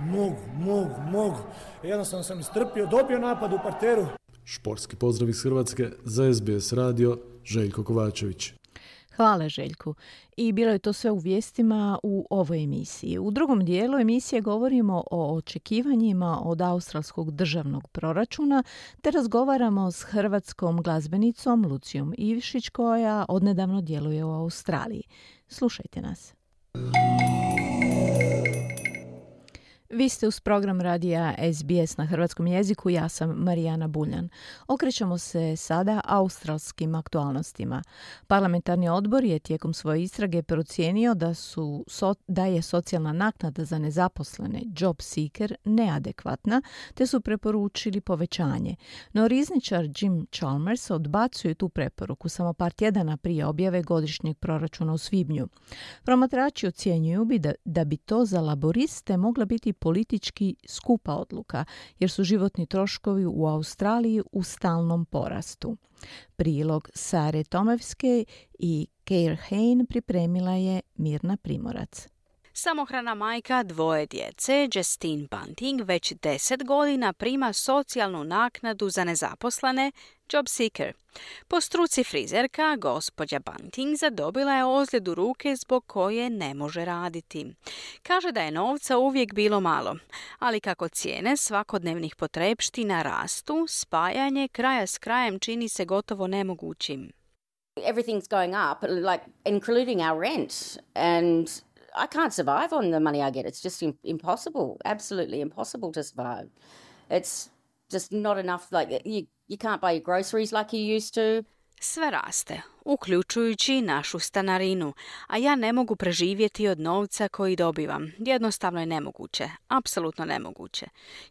mogu. Jednostavno sam istrpio, dobio napad u parteru. Športski pozdrav iz Hrvatske za SBS radio, Željko Kovačević. Hvala Željku. I bilo je to sve u vijestima u ovoj emisiji. U drugom dijelu emisije govorimo o očekivanjima od australskog državnog proračuna te razgovaramo s hrvatskom glazbenicom Lucijom Ivšić koja odnedavno djeluje u Australiji. Slušajte nas. Vi ste uz program radija SBS na hrvatskom jeziku, ja sam Marijana Buljan. Okrećemo se sada australskim aktualnostima. Parlamentarni odbor je tijekom svoje istrage procijenio da je socijalna naknada za nezaposlene job seeker neadekvatna, te su preporučili povećanje. No rizničar Jim Chalmers odbacuje tu preporuku samo par tjedana prije objave godišnjeg proračuna u svibnju. Promatrači ocjenjuju da bi to za laboriste mogla biti politički skupa odluka, jer su životni troškovi u Australiji u stalnom porastu. Prilog Sare Tomevske i Keir Hain pripremila je Mirna Primorac. Samohrana majka dvoje djece, Justine Bunting, već 10 godina prima socijalnu naknadu za nezaposlene, job seeker. Po struci frizerka, gospođa Bunting zadobila je ozljedu ruke zbog koje ne može raditi. Kaže da je novca uvijek bilo malo, ali kako cijene svakodnevnih potrepština rastu, spajanje kraja s krajem čini se gotovo nemogućim. Everything's going up, like including our rent, and I can't survive on the money I get. It's just impossible, absolutely impossible to survive. It's just not enough, like you can't buy your groceries like you used to. Sve raste, uključujući našu stanarinu, a ja ne mogu preživjeti od novca koji dobivam. Jednostavno je nemoguće, apsolutno nemoguće.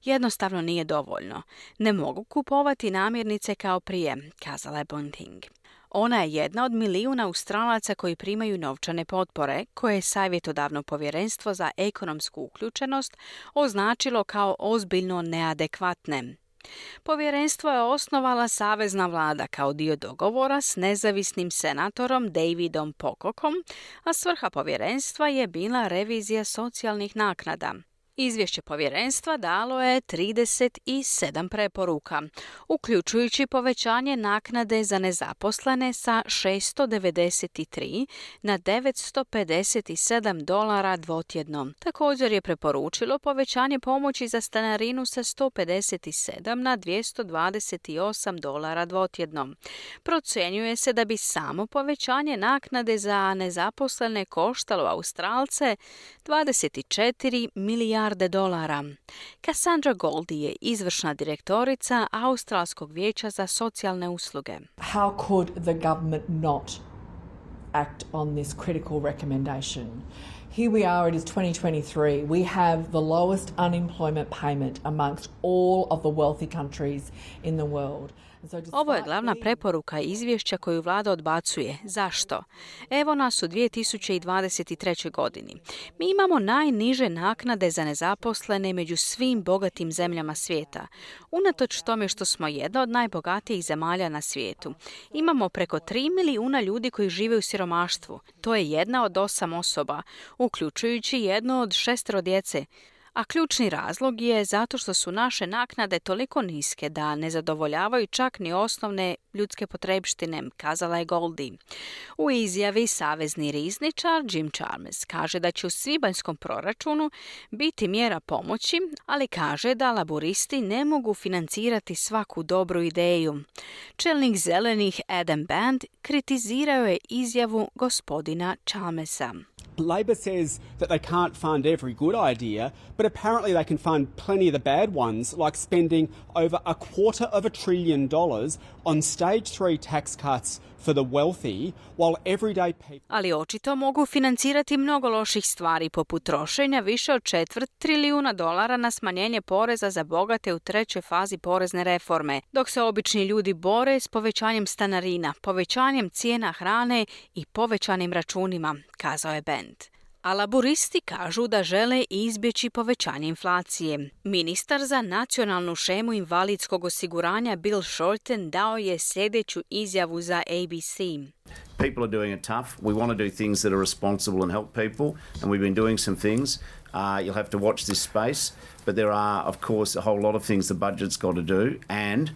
Jednostavno nije dovoljno. Ne mogu kupovati namirnice kao prije, kazala je Bunting. Ona je jedna od milijuna Australaca koji primaju novčane potpore, koje je savjetodavno povjerenstvo za ekonomsku uključenost označilo kao ozbiljno neadekvatne. Povjerenstvo je osnovala savezna vlada kao dio dogovora s nezavisnim senatorom Davidom Pocockom, a svrha povjerenstva je bila revizija socijalnih naknada. Izvješće povjerenstva dalo je 37 preporuka, uključujući povećanje naknade za nezaposlene sa $693 na $957 dvotjedno. Također je preporučilo povećanje pomoći za stanarinu sa $157 na $228 dvotjedno. Procjenjuje se da bi samo povećanje naknade za nezaposlene koštalo Australce $24 milijarde. Cassandra Goldie je izvršna direktorica Australskog vijeća za socijalne usluge. How could the government not act on this critical recommendation? Here we are, it is 2023. We have the lowest unemployment payment amongst all of the wealthy countries in the world. Ovo je glavna preporuka izvješća koju vlada odbacuje. Zašto? Evo nas u 2023. godini. Mi imamo najniže naknade za nezaposlene među svim bogatim zemljama svijeta. Unatoč tome što smo jedna od najbogatijih zemalja na svijetu. Imamo preko 3 milijuna ljudi koji žive u siromaštvu. To je jedna od 8 osoba, uključujući jednu od 6 djece. A ključni razlog je zato što su naše naknade toliko niske da ne zadovoljavaju čak ni osnovne ljudske potrebštine, kazala je Goldie. U izjavi savezni rizničar Jim Chalmers kaže da će u svibanjskom proračunu biti mjera pomoći, ali kaže da laboristi ne mogu financirati svaku dobru ideju. Čelnik zelenih Adam Band kritizirao je izjavu gospodina Chalmersa. Labor says that they can't fund every good idea, but apparently they can fund plenty of the bad ones, like spending over $250 billion on stage 3 tax cuts for the wealthy, while everyday people... Ali očito mogu financirati mnogo loših stvari, poput trošenja više od $250 trilijuna na smanjenje poreza za bogate u trećoj fazi porezne reforme, dok se obični ljudi bore s povećanjem stanarina, povećanjem cijena hrane i povećanim računima, kazao je Band. A laburisti kažu da žele izbjeći povećanje inflacije. Ministar za nacionalnu šemu invalidskog osiguranja Bill Shorten dao je sljedeću izjavu za ABC. People are doing it tough. We want to do things that are responsible and help people, and we've been doing some things. You'll have to watch this space, but there are, of course, a whole lot of things the budget's got to do, and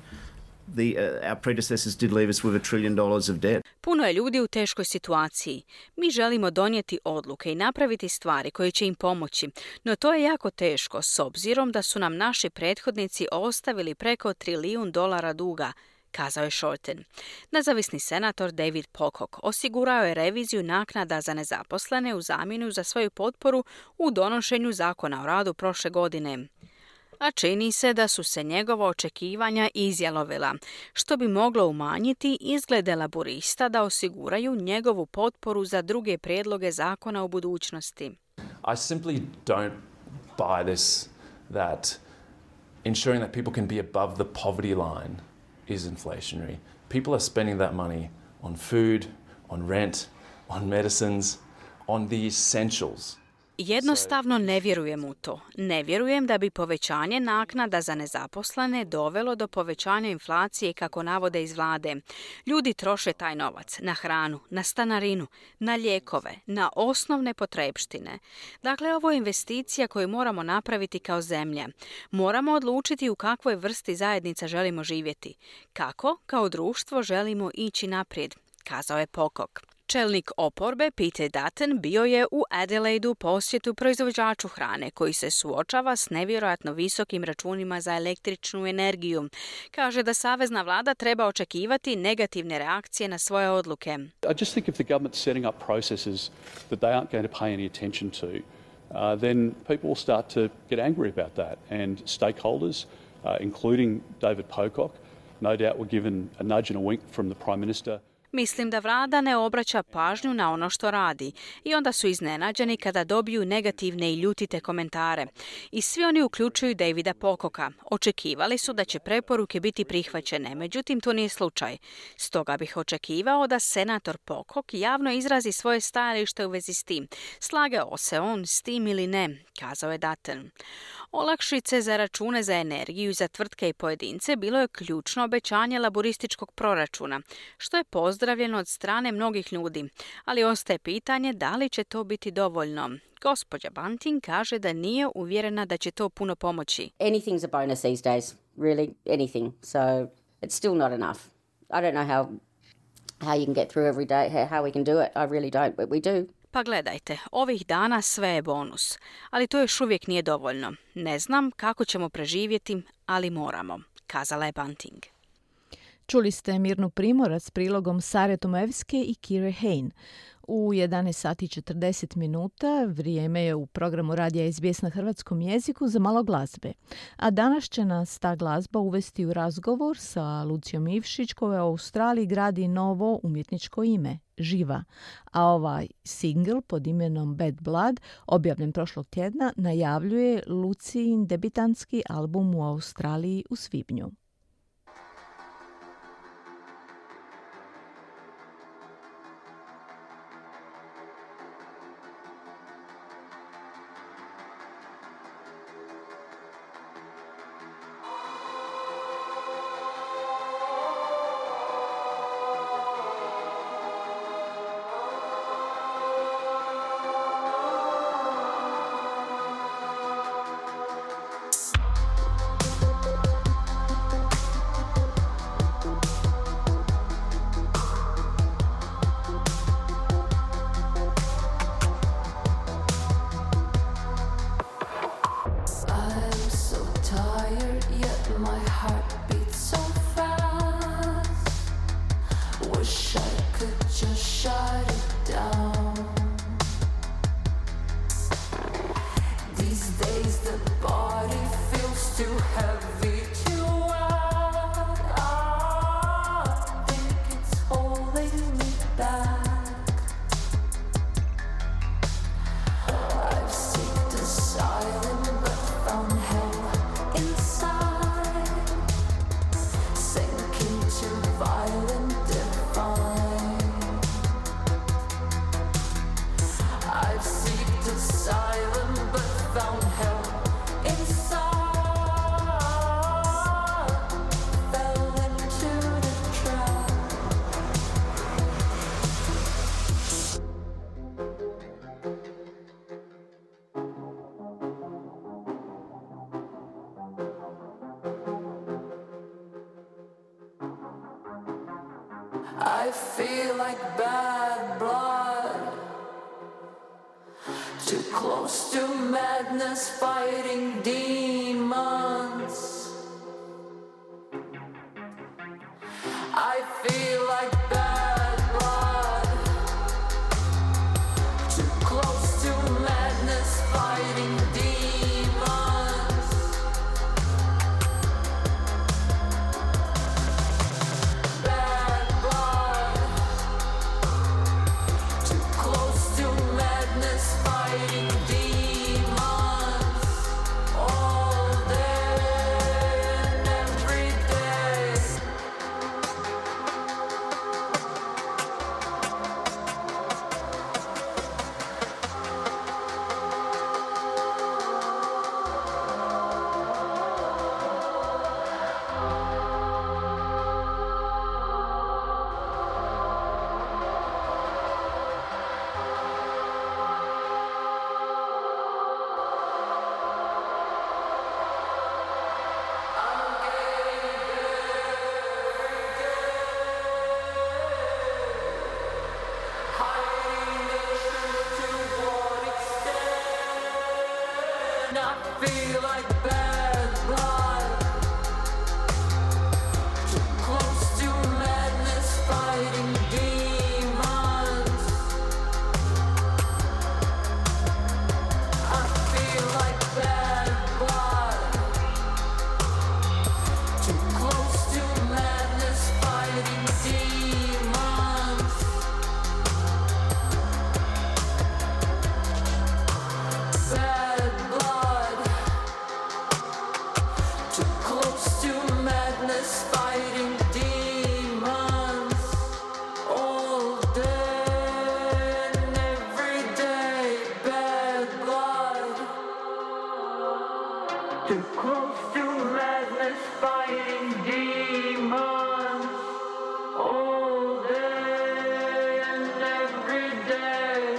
our predecessors did leave us with $1 trillion of debt. Puno je ljudi u teškoj situaciji. Mi želimo donijeti odluke i napraviti stvari koje će im pomoći, no to je jako teško s obzirom da su nam naši prethodnici ostavili preko $1 triljon duga, kazao je Shorten. Nezavisni senator David Pocock osigurao je reviziju naknada za nezaposlene u zamjenu za svoju potporu u donošenju zakona o radu prošle godine. A čini se da su se njegova očekivanja izjalovila, što bi moglo umanjiti izglede laburista da osiguraju njegovu potporu za druge prijedloge zakona u budućnosti. I simply don't buy this that ensuring that people can be above the poverty line is inflationary. People are spending that money on food, on rent, on medicines, on the essentials. Jednostavno ne vjerujem u to. Ne vjerujem da bi povećanje naknada za nezaposlene dovelo do povećanja inflacije kako navode iz vlade. Ljudi troše taj novac na hranu, na stanarinu, na lijekove, na osnovne potrepštine. Dakle, ovo je investicija koju moramo napraviti kao zemlja. Moramo odlučiti u kakvoj vrsti zajednica želimo živjeti. Kako, kao društvo, želimo ići naprijed, kazao je Pocock. Čelnik oporbe Peter Dutton bio je u Adelaidu posjetu proizvođaču hrane koji se suočava s nevjerojatno visokim računima za električnu energiju. Kaže da savezna vlada treba očekivati negativne reakcije na svoje odluke. I just think if the government's setting up processes that they aren't going to pay any attention to, then people will start to get angry about that. And stakeholders, including David Pocock, no doubt were given a nudge and a wink from the Prime Minister. Mislim da vlada ne obraća pažnju na ono što radi i onda su iznenađeni kada dobiju negativne i ljutite komentare. I svi oni uključuju Davida Pococka. Očekivali su da će preporuke biti prihvaćene, međutim to nije slučaj. Stoga bih očekivao da senator Pocock javno izrazi svoje stajalište u vezi s tim. Slagao se on s tim ili ne, kazao je Dutton. Olakšice za račune za energiju za tvrtke i pojedince bilo je ključno obećanje laburističkog proračuna, što je pozdravljeno od strane mnogih ljudi, ali ostaje pitanje da li će to biti dovoljno. Gospođa Bunting kaže da nije uvjerena da će to puno pomoći. Anything's a bonus these days, really, anything. So it's still not enough. I don't know how you can get through every day, how we can do it. I really don't, but we do. Pa gledajte, ovih dana sve je bonus, ali to još uvijek nije dovoljno. Ne znam kako ćemo preživjeti, ali moramo, kazala je Bunting. Čuli ste Mirnu Primorac s prilogom Sare Tomevske i Kire Hain. U 11 sati 40 minuta vrijeme je u programu radija SBS na hrvatskom jeziku za malo glazbe. A danas će nas ta glazba uvesti u razgovor sa Lucijom Ivšić koja u Australiji gradi novo umjetničko ime, Živa. A ovaj singl pod imenom Bad Blood, objavljen prošlog tjedna, najavljuje Lucijin debitanski album u Australiji u svibnju. I feel like bad blood, too close to madness, fighting demons. I feel like bad blood, too close to madness, fighting demons. Bad blood, too close to madness, fighting demons. All day and every day. I feel like bad blood, too close to madness, fighting demons. I feel like bad blood, too close to madness, fighting demons. Bad blood, too close to madness, fighting demons. All day and every day. Bad blood, too close to madness, fighting demons. All day and every day.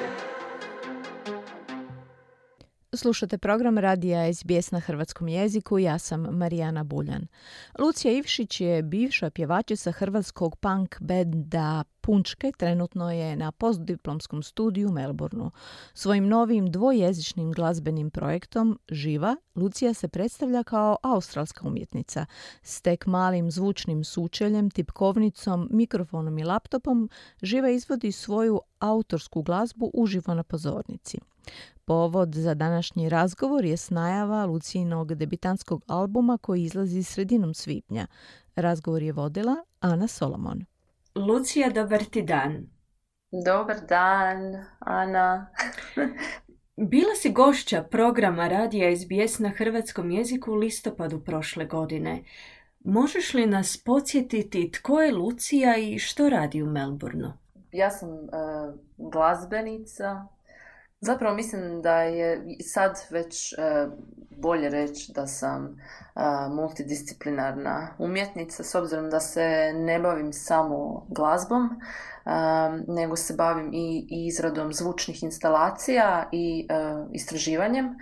Slušate program radija SBS na hrvatskom jeziku, ja sam Marijana Buljan. Lucija Ivšić je bivša pjevačica hrvatskog punk benda Punčke, trenutno je na postdiplomskom studiju u Melbourneu. Svojim novim dvojezičnim glazbenim projektom Živa, Lucija se predstavlja kao australska umjetnica. S tek malim zvučnim sučeljem, tipkovnicom, mikrofonom i laptopom, Živa izvodi svoju autorsku glazbu uživo na pozornici. Povod za današnji razgovor je najava Lucijinog debitantskog albuma koji izlazi sredinom svibnja. Razgovor je vodila Ana Solomon. Lucija, dobar ti dan. Dobar dan, Ana. Bila si gošća programa radija SBS na hrvatskom jeziku u listopadu prošle godine. Možeš li nas podsjetiti tko je Lucija i što radi u Melbourneu? Ja sam glazbenica. Zapravo mislim da je sad već bolje reći da sam multidisciplinarna umjetnica, s obzirom da se ne bavim samo glazbom, nego se bavim i izradom zvučnih instalacija i istraživanjem.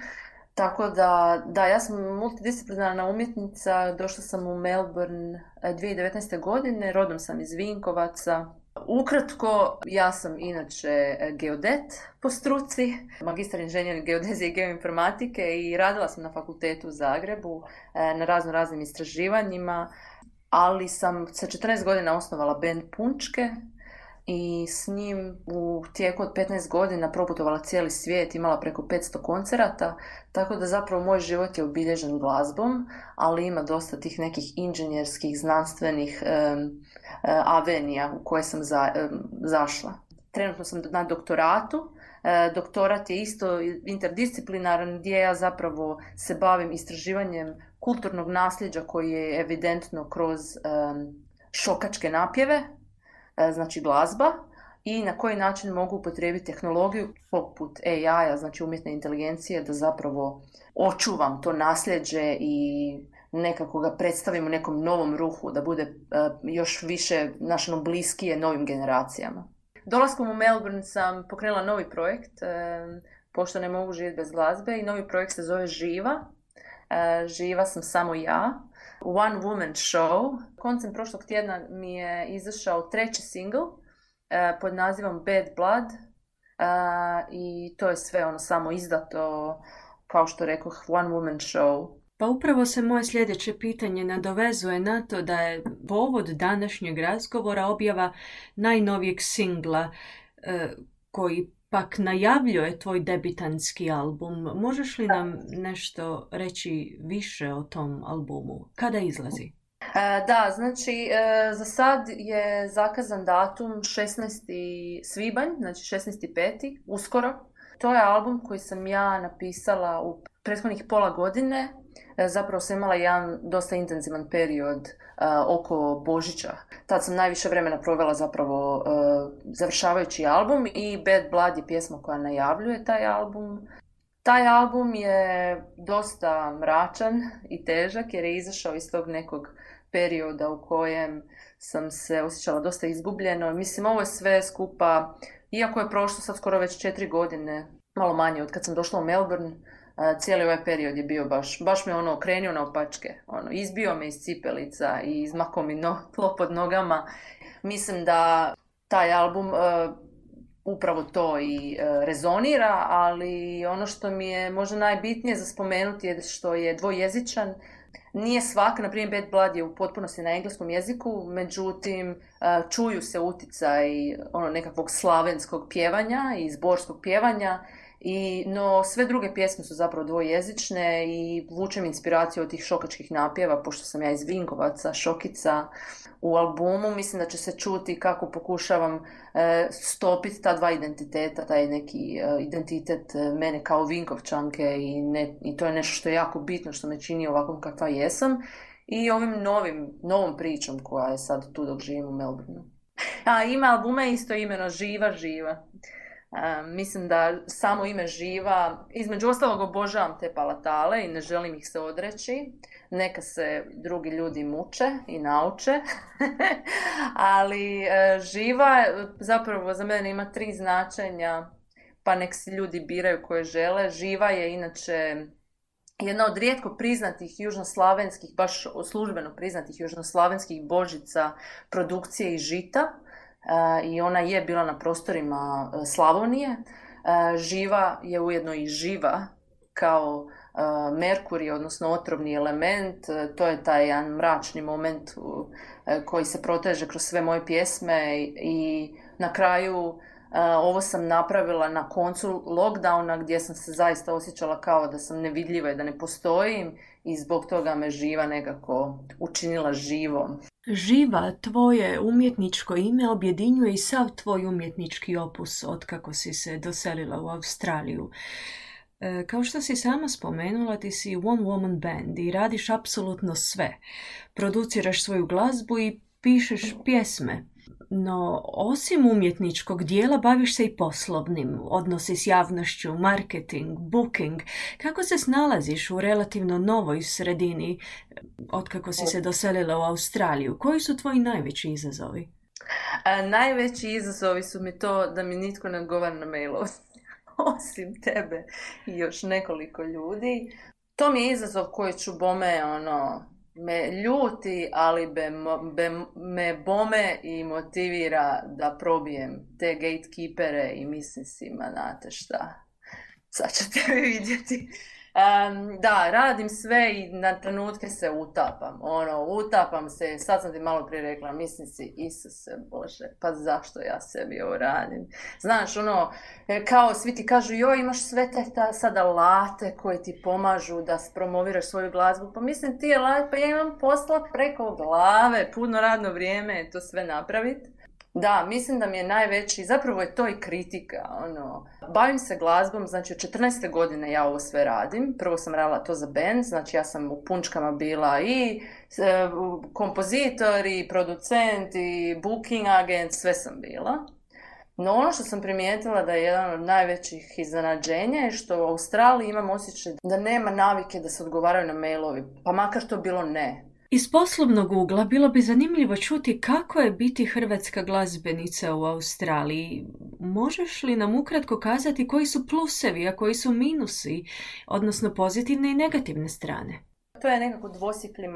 Tako da, ja sam multidisciplinarna umjetnica, došla sam u Melbourne 2019. godine, rodom sam iz Vinkovaca. Ukratko, ja sam inače geodet po struci, magistar inženjer geodezije i geoinformatike i radila sam na fakultetu u Zagrebu na raznim istraživanjima, ali sam sa 14 godina osnovala bend Punčke i s njim u tijeku od 15 godina proputovala cijeli svijet, imala preko 500 koncerata, tako da zapravo moj život je obilježen glazbom, ali ima dosta tih nekih inženjerskih, znanstvenih avenija u koje sam zašla. Trenutno sam na doktoratu. Doktorat je isto interdisciplinaran gdje ja zapravo se bavim istraživanjem kulturnog nasljeđa koji je evidentno kroz šokačke napjeve, znači glazba, i na koji način mogu upotrijebiti tehnologiju poput AI-a, znači umjetne inteligencije, da zapravo očuvam to nasljeđe i nekako ga predstavim u nekom novom ruhu, da bude još više našno bliskije novim generacijama. Dolaskom u Melbourne sam pokrenula novi projekt, pošto ne mogu živjeti bez glazbe, i novi projekt se zove Živa. Živa sam samo ja. One Woman Show. Koncem prošlog tjedna mi je izašao 3. single pod nazivom Bad Blood i to je sve samo izdato, kao što rekoh, One Woman Show. Pa upravo se moje sljedeće pitanje nadovezuje na to da je povod današnjeg razgovora objava najnovijeg singla koji pak najavljuje tvoj debitanski album. Možeš li nam nešto reći više o tom albumu? Kada izlazi? Da, znači za sad je zakazan datum 16. svibanj, znači 16.5. uskoro. To je album koji sam ja napisala u prethodnih pola godine. Zapravo sam imala jedan dosta intenzivan period oko Božića. Tad sam najviše vremena provela zapravo završavajući album i Bad Blood je pjesma koja najavljuje taj album. Taj album je dosta mračan i težak jer je izašao iz tog nekog perioda u kojem sam se osjećala dosta izgubljeno. Mislim, ovo je sve skupa, iako je prošlo sad skoro već 4 godine, malo manje od kad sam došla u Melbourne, cijeli ovaj period je bio baš me okrenio na opačke. Izbio me iz cipelica i izmakao mi tlo pod nogama. Mislim da taj album upravo to i rezonira, ali ono što mi je možda najbitnije za spomenuti je što je dvojezičan. Nije svaka, na primjer Bad Blood je u potpunosti na engleskom jeziku, međutim čuju se uticaj nekakvog slavenskog pjevanja i zborskog pjevanja, no sve druge pjesme su zapravo dvojezične i vučem inspiraciju od tih šokačkih napjeva, pošto sam ja iz Vinkovaca, Šokica. U albumu mislim da će se čuti kako pokušavam stopiti ta dva identiteta, taj neki identitet mene kao Vinkovčanke i to je nešto što je jako bitno, što me čini ovakvom kakva jesam, i ovim novom pričom koja je sad tu dok živim u Melbourneu. Ime albuma je isto imeno Živa. Mislim da samo ime Živa, između ostalog obožavam te palatale i ne želim ih se odreći. Neka se drugi ljudi muče i nauče, ali Živa zapravo za mene ima 3 značenja, pa nek si ljudi biraju koje žele. Živa je inače jedna od rijetko priznatih južnoslavenskih, baš službeno priznatih južnoslavenskih božica produkcije i žita. I ona je bila na prostorima Slavonije. Živa je ujedno i živa kao Merkurij, odnosno otrovni element. To je taj jedan mračni moment koji se proteže kroz sve moje pjesme i na kraju ovo sam napravila na koncu lockdowna gdje sam se zaista osjećala kao da sam nevidljiva i da ne postojim i zbog toga me Živa nekako učinila živom. Živa, tvoje umjetničko ime objedinjuje i sav tvoj umjetnički opus otkako si se doselila u Australiju. Kao što si sama spomenula, ti si one woman band i radiš apsolutno sve. Produciraš svoju glazbu i pišeš pjesme. No, osim umjetničkog dijela, baviš se i poslovnim, odnosi s javnošću, marketing, booking. Kako se snalaziš u relativno novoj sredini otkako si se doselila u Australiju? Koji su tvoji najveći izazovi? Najveći izazovi su mi to da mi nitko ne odgovara na mailove, osim tebe i još nekoliko ljudi. To mi je izazov koji ću bome me ljuti, ali me bome i motivira da probijem te gatekeepere i mislim si, znate šta, sad ćete vi vidjeti. Da, radim sve i na trenutke se utapam se, sad sam ti malo prije rekla, mislim si, Isuse Bože, pa zašto ja sebi ovo radim? Znaš, kao svi ti kažu, joj, imaš sve te sad alate koje ti pomažu da promoviraš svoju glazbu, pa mislim ti alat, pa ja imam posla preko glave, puno radno vrijeme, to sve napraviti. Da, mislim da mi je najveći, zapravo je to i kritika, bavim se glazbom, znači od 14. godine ja ovo sve radim, prvo sam radila to za band, znači ja sam u punčkama bila i kompozitor i producent i booking agent, sve sam bila. No ono što sam primijetila da je jedan od najvećih iznenađenja je što u Australiji imam osjećaj da nema navike da se odgovaraju na mailovi, pa makar to bilo ne. Iz poslovnog ugla bilo bi zanimljivo čuti kako je biti hrvatska glazbenica u Australiji. Možeš li nam ukratko kazati koji su plusevi, a koji su minusi, odnosno pozitivne i negativne strane? To je nekako dvosjekli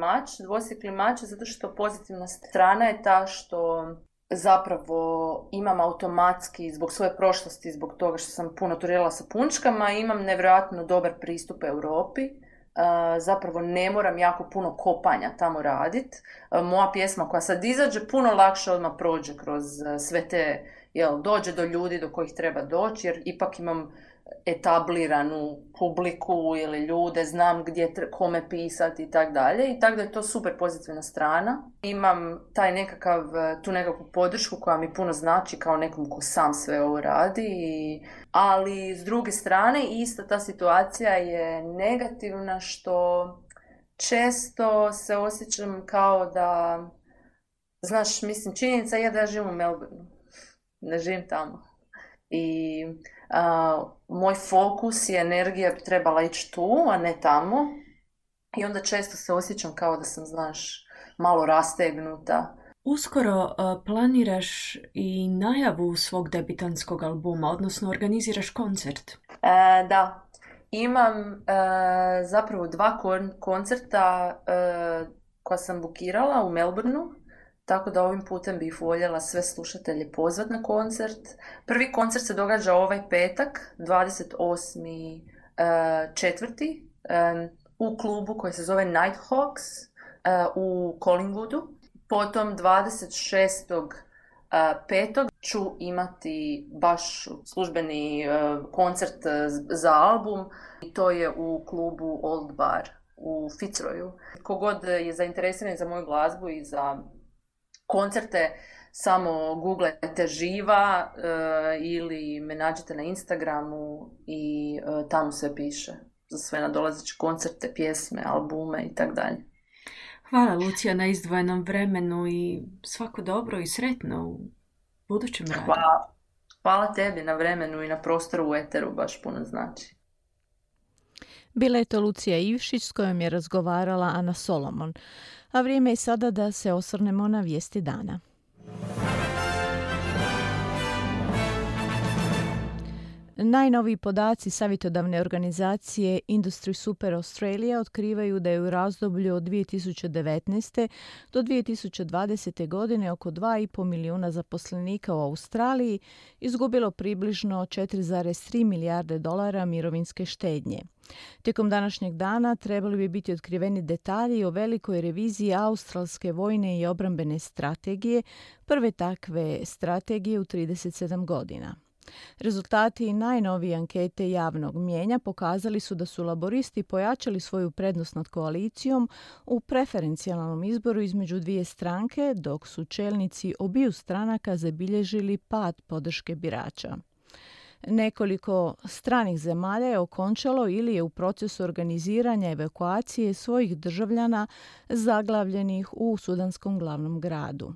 mač zato što pozitivna strana je ta što zapravo imam automatski, zbog svoje prošlosti, zbog toga što sam puno turirala sa punčkama, imam nevjerojatno dobar pristup Europi. Zapravo ne moram jako puno kopanja tamo raditi. Moja pjesma koja sad izađe puno lakše odmah prođe kroz sve te, dođe do ljudi do kojih treba doći, jer ipak imam etabliranu publiku ili ljude, znam gdje kome pisati i tako dalje. I tako da je to super pozitivna strana. Imam tu nekakvu podršku koja mi puno znači kao nekom ko sam sve ovo radi. Ali s druge strane ista ta situacija je negativna što često se osjećam kao da, znaš, mislim, činjenica je da ja živim u Melbourneu. Ne živim tamo. I moj fokus i energija bi trebala ići tu, a ne tamo. I onda često se osjećam kao da sam, znaš, malo rastegnuta. Uskoro planiraš i najavu svog debitanskog albuma, odnosno organiziraš koncert. Da, imam zapravo 2 koncerta koja sam bukirala u Melbourneu. Tako da ovim putem bih voljela sve slušatelje pozvati na koncert. Prvi koncert se događa ovaj petak, 28.4. U klubu koji se zove Nighthawks u Collingwoodu. Potom 26.5. ću imati baš službeni koncert za album. I to je u klubu Old Bar u Fitzroyu. Kogod je zainteresiran za moju glazbu i za koncerte, samo googlajte Živa ili me nađete na Instagramu i tamo sve piše za sve nadolazeće koncerte, pjesme, albume i tako dalje. Hvala Lucija na izdvojenom vremenu i svako dobro i sretno u budućem radu. Hvala tebi na vremenu i na prostoru u eteru, baš puno znači. Bila je to Lucija Ivšić s kojom je razgovarala Ana Solomon. A vrijeme je sada da se osvrnemo na vijesti dana. Najnoviji podaci savjetodavne organizacije Industry Super Australia otkrivaju da je u razdoblju od 2019. do 2020. godine oko 2,5 milijuna zaposlenika u Australiji izgubilo približno 4,3 milijarde dolara mirovinske štednje. Tijekom današnjeg dana trebali bi biti otkriveni detalji o velikoj reviziji australske vojne i obrambene strategije, prve takve strategije u 37 godina. Rezultati najnovije ankete javnog mnijenja pokazali su da su laboristi pojačali svoju prednost nad koalicijom u preferencijalnom izboru između dvije stranke, dok su čelnici obiju stranaka zabilježili pad podrške birača. Nekoliko stranih zemalja je okončalo ili je u procesu organiziranja evakuacije svojih državljana zaglavljenih u sudanskom glavnom gradu.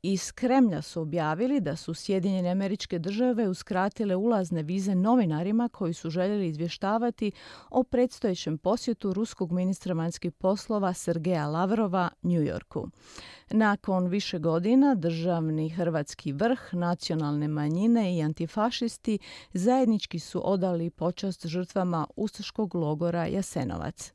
Iz Kremlja su objavili da su Sjedinjene Američke Države uskratile ulazne vize novinarima koji su željeli izvještavati o predstojećem posjetu ruskog ministra vanjskih poslova Sergeja Lavrova New Yorku. Nakon više godina državni hrvatski vrh, nacionalne manjine i antifašisti zajednički su odali počast žrtvama ustaškog logora Jasenovac.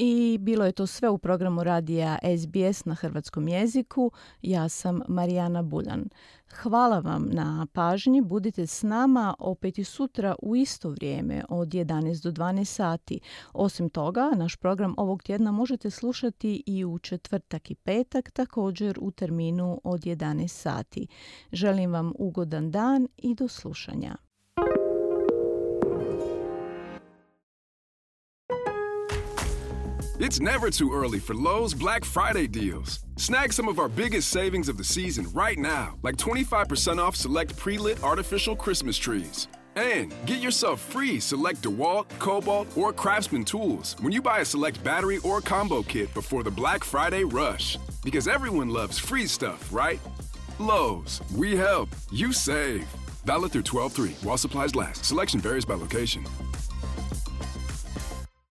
I bilo je to sve u programu radija SBS na hrvatskom jeziku. Ja sam Marijana Buljan. Hvala vam na pažnji. Budite s nama opet i sutra u isto vrijeme od 11 do 12 sati. Osim toga, naš program ovog tjedna možete slušati i u četvrtak i petak, također u terminu od 11 sati. Želim vam ugodan dan i do slušanja. It's never too early for Lowe's Black Friday deals. Snag some of our biggest savings of the season right now, like 25% off select pre-lit artificial Christmas trees. And get yourself free select DeWalt, Cobalt, or Craftsman tools when you buy a select battery or combo kit before the Black Friday rush. Because everyone loves free stuff, right? Lowe's, we help, you save. Valid through 12/3 while supplies last. Selection varies by location.